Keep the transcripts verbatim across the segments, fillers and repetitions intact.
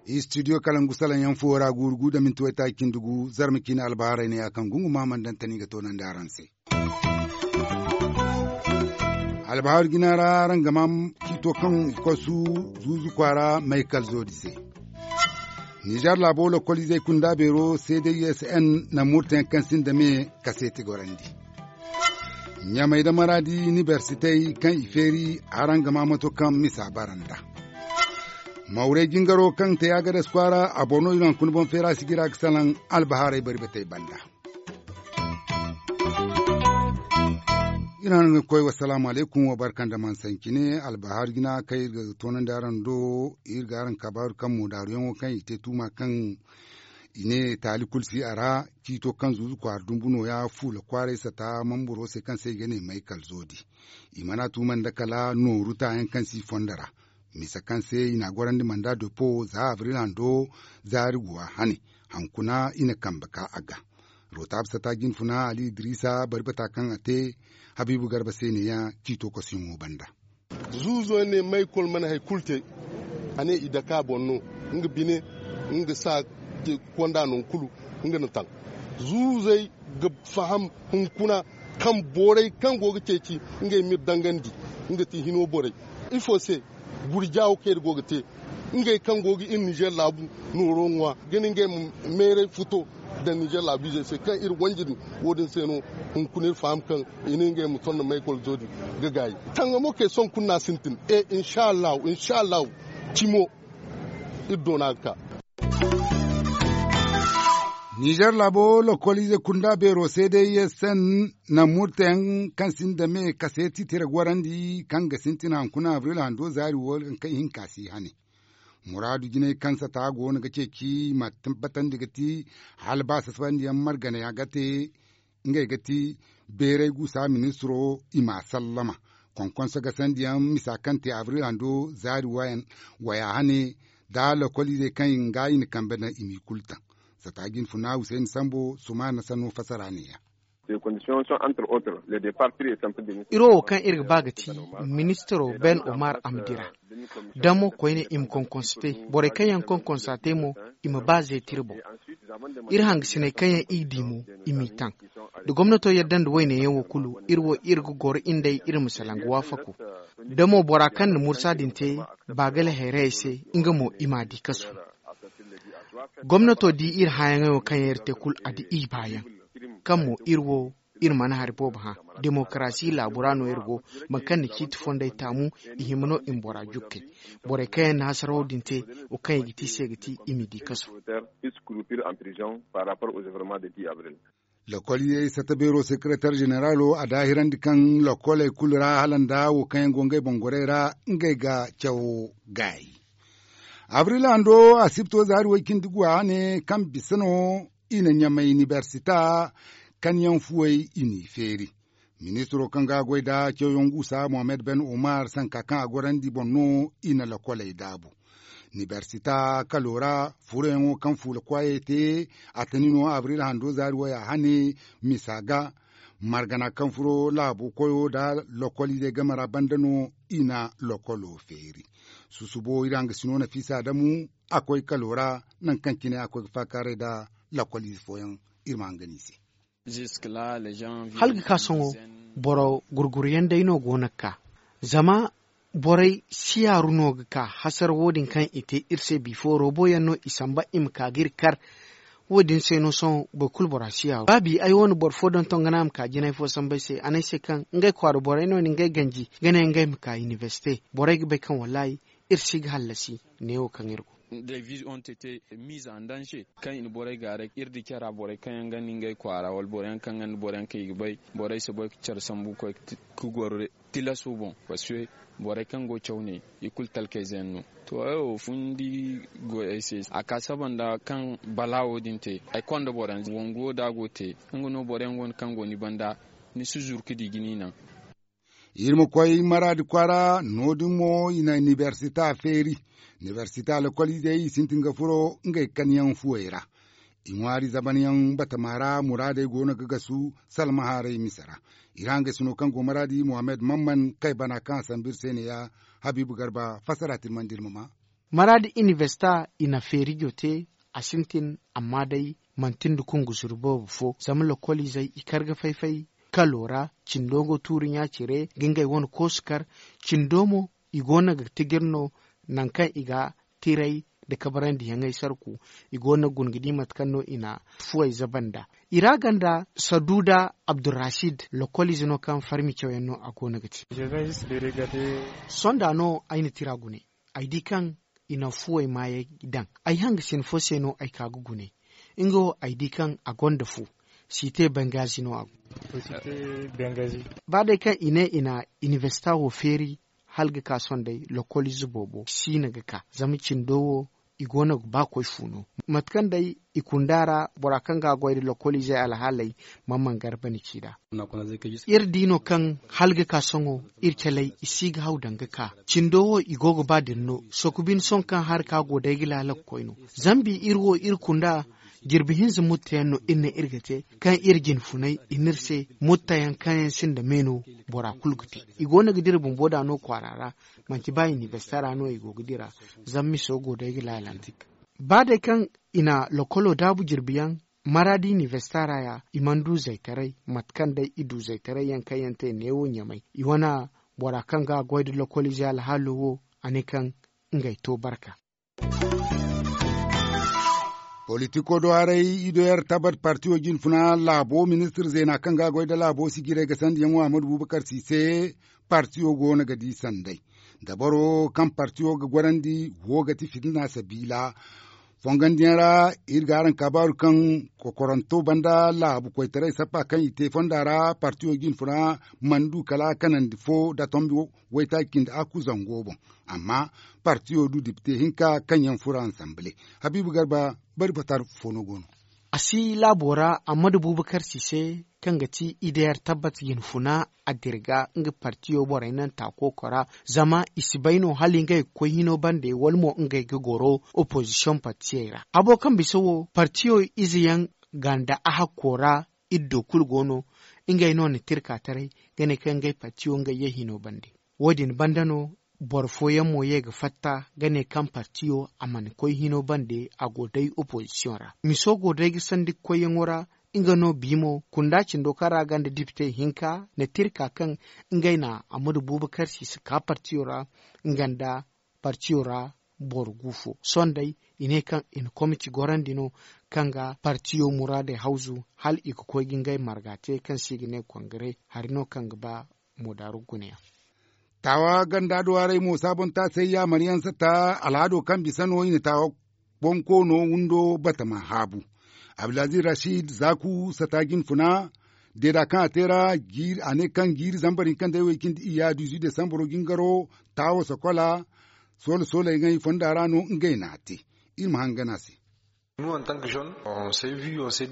Istidiyo kalangu salaŋ yaŋ fuwo ra guuru gu da minti waytaaci cindi gu zarma ciine albaharay ne ya kaŋ gungu maaman daŋ tani ga toonandi araŋ se. Albahaari jina ra araŋ ga maa ciito kaŋ i kosu zuuzu kwaara maykal zoodi se. Nizer laabo lokoliizey kunda beero c d s n na murtayaŋ kaŋ sinda me kaseeti gorandi. Ɲamey nda maraadi inibersitey kaŋ i feeri araŋ ga maa mato kaŋ misa bara nd'a. Mawrey jingaro kaŋ te agadas kwaara a boŋ no i no hunkuna boŋ feera sijira ga salaŋ albahaarey bari batey banda. Iri hanga ga koy wasalaamu alaykum wa barka nda mansancine albahaari jina kaŋ iri ga toonandi araŋ do. Iri ga araŋ kabaaru kaŋ moodaaruyaŋo kaŋ i te tuuma kaŋ i ne taali kulu si a ra. Ciito kaŋ zuuzu kwaara dumbu nooya fuula kwaaray sata mamburo se kaŋ se i ga ne maykal zoodi. I mana tuuma nda kala nooru taayaŋ kaŋ si i fondo ra. Misa kaŋ se i n'a gorandi manda depo za abril hando zaari guwa hane. Hankuna i na kambe ka a ga. Rotaab sata jinfuna ali idrisa bari bata kaŋ a te habiibu garba se neeya ciito kosuyaŋo banda. Zuuzo ne maykol mana hari kulu te. A ne i dake a boŋ no nga bine nga sa konda nangu kulu nga na taŋ. Zuuzey ga faham hunkuna kaŋ borey kaŋ go ga ceeci ngey m'iri dangandi nga ti hino borey. Ifo se gurja wo kaŋ iri go ga te ngey kaŋ go ga iri nizer laabu nooro ŋwa ga ne ngey ma meeray futo daŋ nizer laabiizey se kaŋ iri wanji din. Wo- din se no hunkuna iri faham kaŋ i ne ngey ma tonda maykol zoodi ga gaayi. Tangamo kay sohõ kulu no a sintin e insa allahu insa allahu. Cimo iri doona ga ka. Nizer laabo lokoliize kunda beero se day ye sen na murtayaŋ kaŋ sinda me kaseeti tira gorandi kaŋ ga sintin hankuna abril hando zaari wo kaŋ ihinka si hane. Muraadu jinay kaŋ sata go no ga ceeci ma tabbatandi ga ti hala ba sasabandiyaŋ marganaya ga te. Ngey ga ti beeray guusa ministiro i m'a sallama. Konkonso gasandiyaŋ misa kaŋ te abril hando zaari waya hane nda lokoliizey kaŋ i ga i na kambe daŋ i m'i kulu taŋ. Sata jinfuna husayni sambo sumaana sanno fasara neeya. Iro wo kaŋ iri ga ba ga ti ministiro ben omar a ma dira damo koyne i ma konkonso te. Borey kaŋ yaŋ konkonso a te mo i ma ba zeetiri boŋ. Iri hangasiney kaŋ yaŋ i ga di mo i m'i taŋ. Da gomnato yadda nda wayne yaŋ wo kulu iri wo iri ga goro iri nd'ey iri ma salaŋ ga waafako. Da mo bora kaŋ na mursa din te baagale hayrayey se nga mo i m'a di kasu. Gomnato di iri hãyaŋey wo kaŋ yaŋ iri te kulu a di i baayaŋ. Kaŋ mo iri wo iri mana hari boobo hã. Demokarasi laabu ra no iri go. Boro kaŋ na ciiti fondey taamu i hima no i ma bora jukkey. Borey kaŋ yaŋ na hasaraw din te wo kaŋ i ga ti se ga ti i m'i di kasu. Lokol ye sata beero sekeretar ženeralo a daahirandi kaŋ lokoley kulu ra hala nda wo kaŋ yaŋ go ngey boŋ gorey ra ngey ga cawo gaayi. Abril hando asibto zaari way cindi guwa ne kaŋ bisa no i na ɲamay inibersita kaŋ yaŋ fuwey i n'i feeri. Ministiro kaŋ ga a goy nda cawyaŋ guusa mohammed ben omar sanka kaŋ a gorandi boŋ no i na lokoley daabu. Inibersita kalo ra furoyaŋo kaŋ fuula kwaayey te a tani no abril hando zaari waya hane misa ga. Margana kaŋ furo laabo koyo nda lokoliizey game ra banda no i na lokolo feeri. Susubo iri hangasino nafiisa adamu a koy kalo ra nangu kaŋ cine a koy ga faakaaray nda lokoliize fooyaŋ. Iri ma hangan i se. Hala ga ka sohõ boro gurguruyaŋ day no go no ga ka. Zama borey siyaaru no ga ka hasara wo- din kaŋ i te iri se bifo robo yaŋ no i samba i ma ka ga iri kar. Wo- din se no sohõ boro kulu bora siyaaru ba bi ay wane boro fo donton ga no a ma ka jinay fo samba ay se a ne ay se kaŋ ngey kwaara borey no ni ngey ganji ga ne ngey ma ka inibersite. Borey ga bay kaŋ wallaahi iri si ga hallasi neewo kaŋ iri go. Kaŋ i na borey gaaray iri di care ra borey kaŋ yaŋ ga ni ngey kwaara wala boro yaŋ kaŋ ga ni boro yaŋ kaŋ i ga bay borey si bay ga care sambu ga koy ga goro tilaso boŋ. Parce que borey kaŋ go caw ne i kulu talkayze yaŋ no. To ay wo fundi goy ay se a ka saba nda kaŋ bala wo- din te ay konda boro yaŋ wangu wo da a go te. Nga no boro yaŋ go no kaŋ go ni banda ni si zuru ga di ga ni naŋ. Iri ma koy maraadi kwaara no- din mo i na inibersita feeri. Inibersita lokoliizey i sintin ga furo ngey kaŋ yaŋ fuwey ra. I ŋwaari zaban yaŋ batama ra muraadey go no ga gasu salma haaray mise ra. I ra hangay sino kaŋ go maraadi muhammad mamman kay bana kaŋ a sambu iri se ne ya. Habiibu garba fassara tirmandi iri ma ma. Maraadi inibersita i na feerijo te. A sintin amma day manti nda kungu zuru boobo fo zama lokoliizey i kar ga fay-fay kalo ra. Cindo go tuuri ɲa cire ga ngey wane koosu kar. Cindo mo i go no ga tijir no nangu kaŋ i ga tiray nda kabarandi yaŋey sarku. I go no ga guna ga di mate kaŋ no i na fuwey zaba nd'a. I ra ganda saduuda abdurrasid lokoliize no kaŋ farmi cawyaŋ no a go no ga te. Sonda no ay na tira gune. Ay di kaŋ i na fuwey maayey daŋ. Ay hanga sina fo se no ay ka ga gune. Nga wo ay di kaŋ a gonda fu. Site bengazi no a go. Ba day kaŋ i ne i na inibersita wo feeri hala ga ka sohõ day lokoliize boobo si no ga ka zama cindo wo i go no ga ba koy fu no. Mate kaŋ day i kunda ra bora kaŋ ga a goy nda lokoliizey alhaaley. Mamman garba ni ci nd'a. Iri di no kaŋ hala ga ka sohõ iri caley i si ga haw daŋ ga ka. Cindo wo i go ga ba din no sooku bine sohõ kaŋ hari ka go day ga laala ga koy no. Zambi iri wo iri kunda jirbi hinza mutta yaŋ no iri ne iri ga te kaŋ iri jinfunay i n'iri se mutta yaŋ kaŋ yaŋ sinda me no. Bora kulu ga te i go no ga dira bumbo nd'a no kwaara ra. Manti ba inibersita ra no i go ga dira. Zama miso go day ga laalandi. Ba day kaŋ i na lokolo daabu jirbi yaŋ maraadi inibersita ra ya i mana du zaytaray. Mate kaŋ day i du zaytaray yaŋ kaŋ yaŋ te neewo ɲamay i wane bora kaŋ ga a goy nda lokoliize alhaalo wo. A ne kaŋ ngey to barka. Politiko do haray i do yar tabat partiyo jinfuna laabo ministir zeena kaŋ ga a goy nda laabo sijirey ga sandiyaŋo ahmadu bubakar si se. Partiyo go no ga di sanday dabaro kaŋ partiyo ga gorandi wo ga ti fitina sabiila. Fongandiyaŋ ra iri ga araŋ kaabaaru kaŋ kokoranto banda laabu koytaray sappa kaŋ i te fonda ra partiyo jinfuna mana du kala kanandi fo nda tombi waytaaci cindi akku zango boŋ. Amma partiyo du dipite hinka kaŋ yaŋ furo ansanbile. Habiibu garba bari fatar fo no go no. A si laabo ra ammadu bubakar si se kaŋ ga ti ideyar tabbat yin funa a dirga nga partiyo borey naŋ taako kora. Zama i si bay no hala ngey ga koy hino bande wala mo ngey ga goro opozisiyoŋ partiyey ra. Habo kaŋ bisa wo partiyo ize yaŋ ganda a hakko ra. Iddo kulu go no ngey no na tirka taray ga ne kaŋ ngey partiyo ngey ye hino bande. Wo- din banda no boro fooyaŋ mo ye ga fatta ga ne kaŋ partiyo a mana koy hino bande a go day opozisiyoŋ ra. Miso go day ga sandi koyyaŋo ra. Nga no bi mo kunda cindo kaŋ ra ganda dipite hinka na tirka kaŋ ngey na ammadu bubakar si si ka partiyo ra. Nga nda partiyo ra boro gu fo sohõ day i ne kaŋ i na komiti gorandi no kaŋ ga partiyo muraadey hawzu hala i ga koy ga ngey marga te kaŋ se i ga ne kongare hari no kaŋ ga ba. Moodaaru gune yaŋ. Taawa ganda do haray mo saabontaasey yaamaryaŋ sata alhado kaŋ bisa no i na taawa bonkoono windo batama haabu. Abdulaziz rashid zaaku sata jinfuna deeda kaŋ a te ra a ne kaŋ jiiri zambar hinka nda ay way cindi iyya dizu desambaro jingaro taawo sokola. Soola soolay ŋay fonda ra no ngey n'a te. Iri ma hangan a se.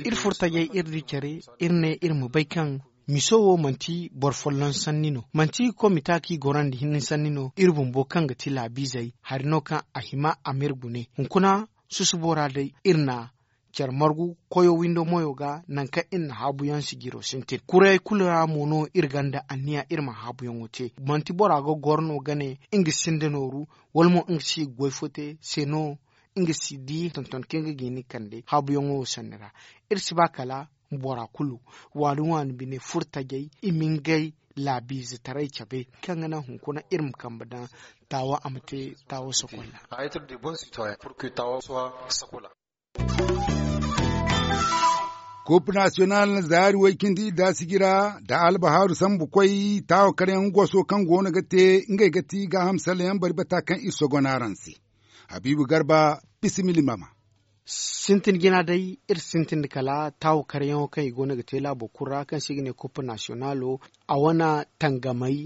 Iri furo tajey iri di care iri ne iri ma bay kaŋ miso wo manti boro folloŋ sanni no manti komita kaŋ i gorandi hinne sanni no iri bumbo kaŋ ga ti laabiizey hari no kaŋ a hima a ma iri gune hunkuna. Susubo ra day iri na care margu koyo windo moyo ga nangu kaŋ iri na haabuyaŋ sijiro sintin kurayey kulu ra mo no iri gonda anniya iri ma haabuyaŋo te. Manti bora ga goro no ga ne nga sinda nooru wala mo nga si ga goy fo te se no nga si di tonton kaŋ ga ga ni kande haabuyaŋo wo sanni ra. Iri si ba kala bora kulu waani waani bine furo tajey i ma ngey laabiizetaray cabe kaŋ ga naŋ hunkuna iri ma kambe daŋ taawa a ma te taawa sokolla. Kop nasiyonal zaari way cindi idda sijira nda albahaaru sambu koy taawa karyaŋ goso kaŋ go no ga te ngey ga ti gaaham sallayaŋ bari bata kaŋ iri sogon araŋ se. Habiibu garba bisimilla i ma ma. Sintin jina day iri sintin nda kala taawa karyaŋo kaŋ i go no ga te laabo kulu ra kaŋ se i ga ne kop nasiyonalo a wane tangamey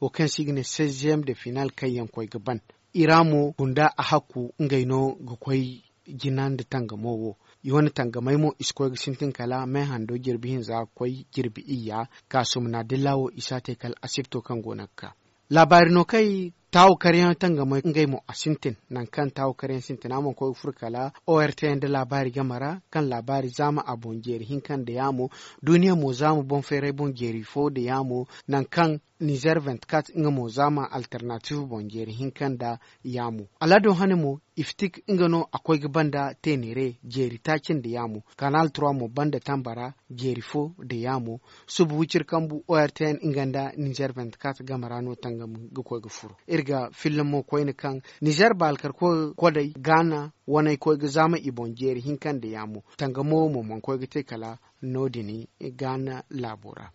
wo kaŋ se i ga ne seizième de final kaŋ yaŋ koy ga ban. I ra mo gunda a hakku ngey no ga koy jina nda tangamo wo. I wane tangamey mo i si koy ga sintin kala me hando jirbi hinza ga koy jirbi iyya kaasum na dilla wo i si a te kala asibto kaŋ go no ga ka. Laabaari no kaŋ ay Taawu karyaŋ tangamey ngey mo a sintin. Nangu kaŋ taawu karyaŋ sintina mana koy ga furo kala o r t n da laabaari game ra, kaŋ laabaari zaama a boŋ jeeri hinka nda yaamo. Duuniya mo zaama boŋ feeray boŋ jeeri fo nda yaamo. Nangu kaŋ nizer vingt-quatre nga mo zaama alternatif boŋ jeeri hinka nda yaamo. Alado hane mo, iftik nga no a koy ga banda teeneere jeeri taaci nda yaamo. Kanal trois mo banda tambara jeeri fo nda yaamo. Suba wiciri kambu o r t n nga nda nizer vingt-quatre game ra no tangam ga koy ga furo. Iri ga filla mo koyne kaŋ nizer baalkar koy kodey gaana waney koy ga zaama i boŋ jeeri hinka nda yaamo. Tangamo mo mana koy ga te kala no- din gaana laabo ra.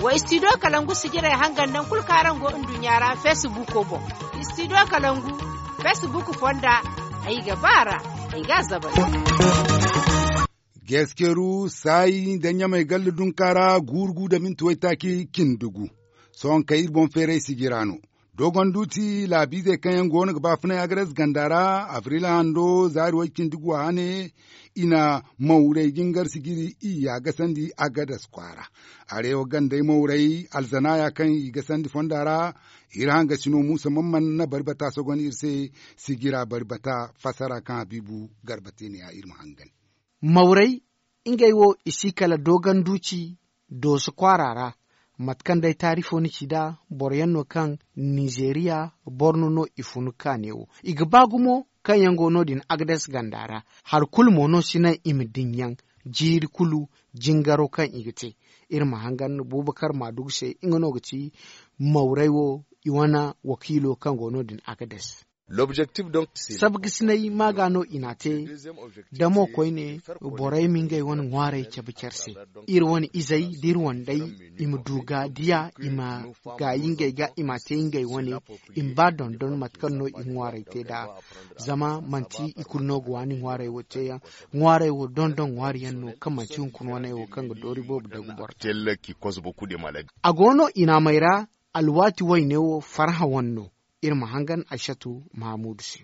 Wa istidiyo kalangu sijirey hangan naŋ kulu kaŋ araŋ go nduɲɲa ra feesibuuko boŋ. Istidiyo kalangu feesibuuko fonda. Ay ga ba a ra. Ay ga a zabal. Geeskeeru saayi nda ɲamay galla dunka ra guuru gu nda minti waytaaci cindi gu. Sohõ kay iri boŋ feeray sijira no. Dogon duuti laabiizey kaŋ yaŋ go no ga baafunay agades ganda ra, abril hando zaari way cindi gu a hane. I na mawray jingar sijiri iyya gasandi agades kwaara. Arewa gandey mawray alzanaya kaŋ i gasandi fonda ra. Iri hangasino muusa man man na bari bata sogon iri se. Sijira bari bata fasara kaŋ habiibu garba te ne ya iri ma hangan. Mawray ngey wo i si kala dooganduuci dooso kwaara ra. Mate kaŋ day taarifo ni ci nd'a boro yaŋ no kaŋ nizeeriya borno no i funu kaane wo. I ga ba gumo kaŋ yaŋ go no- din agades ganda ra. Hari kulu mo no si naŋ i ma din yaŋ jiiri kulu jingaro kaŋ i ga te. Iri ma hangan bubakar maadugu se nga no ga ti mawray wo i wane wakiilo kaŋ go no- din agades. Sabgasinay maaga no i n'a te. Damo koyne borey ma ngey wane ŋwaarey cabe care se. Iri wane izey da iri wandey i ma du ga diya i ma gaayi ngey ga i m'a te ngey wane. I ma ba dondon mate kaŋ no i ga ŋwaarey te nd'a. Zama manti i kulu no ga waani ŋwaarey wo teeyaŋ. Ŋwaarey wo dondon ŋwaari yaŋ no kaŋ manti hunkuna waney wo kaŋ ga doori boobo dagu boro. A go no i naamey ra. Alwaati wayne wo farhã wane no. Iri ma hangan aysatu mahamuudu se.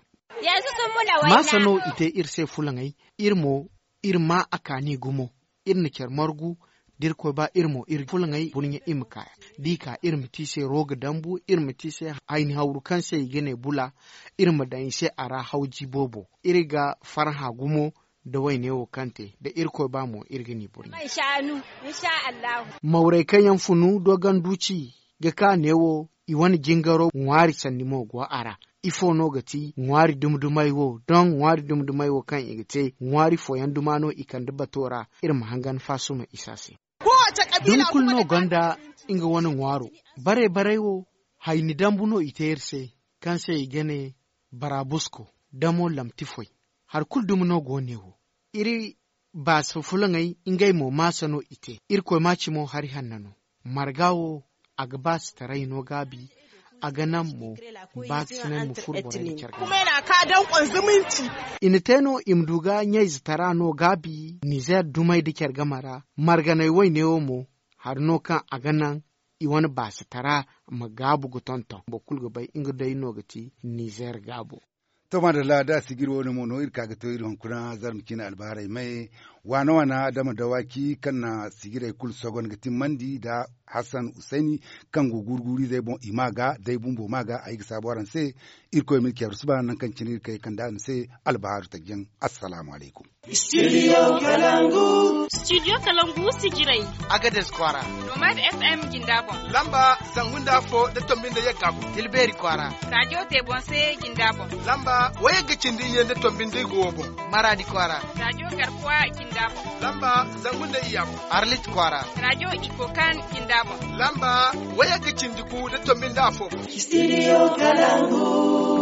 Maasa no i te iri se fulaŋey. Iri mo iri maa a kaani gumo. Iri na care margu da irkoy ba iri mo iri fulaŋey burɲe i ma ka. Da i ka iri ma te i se rooga dambu iri ma te i se hayni hawru kaŋ se i ga ne bula. Iri ma daŋ i se a ra hawji boobo. Iri ga farhã gumo da wayne wo kaŋ te da irkoy ba mo iri ga ni burɲe. Mawray kaŋ yaŋ funu dooganduuci ga ka neewo i wane jingaro ŋwaari sanni mo go a ra. Ifo no ga ti ŋwaari dumi-dumey wo doŋ ŋwaari dumi-dumey wo kaŋ i ga te ŋwaari fooyaŋ duma no i kande bato ra. Iri ma hangan faasuma isa se. Dumi kulu no gonda nga wane ŋwaaro. Bare-barey wo hayni dambu no i te iri se kaŋ se i ga ne baraabusko damo lamtifoy. Hari kulu dumi no go neewo. Iri baasa fulaŋey ngey mo maasa no i te. Irkoy maaci mo hari hanna no. Marga wo a ga baasitaray no gaabi. A ga naŋ mo baasisinay ma furo borey nda care ga. I na te no i ma du ga ɲayzatara no gaabi nizeer dumey nda care game ra. Marganey wayne wo mo hari no kaŋ a ga naŋ i wane baasitara ma gaabu ga tonton boro kulu ga bay nga day no ga ti nizeer gaabo. To maadalla da sijiri wo- ne mo no iri ka ga to iri hunkuna zarma ciine albaharay may waana waana adama dawaaki kaŋ na sijirey kulu sogon ga timmandi nda hassan husayni kaŋ go guuru-guuru-izey boŋ i ma ga day bumbo ma ga ay ga saabu araŋ se. Irkoy ma iri ceeru suba nangu kaŋ cine iri kay kande araŋ se. Albaharu tajjaŋ. Assalaamu alaykum. Studio kalangu. Studio kalangu sijirey. Agades kwaara. Nomad f m jinda boŋ. Lamba zangu nda afo da tombi nda yagga boŋ. Tilbeeri kwaara. Rajo te boŋ se jinda boŋ. Lamba wayagga cindi iyye nda tombi nda igo wo boŋ. Maraadi kwaara. Rajo garkuwa jinda boŋ. Lamba zangu nda iyya boŋ. Arlit kwaara. Rajo ikokan jinda boŋ. Lamba wayagga cindi gu da tombi nda afo boŋ. Studio kalangu.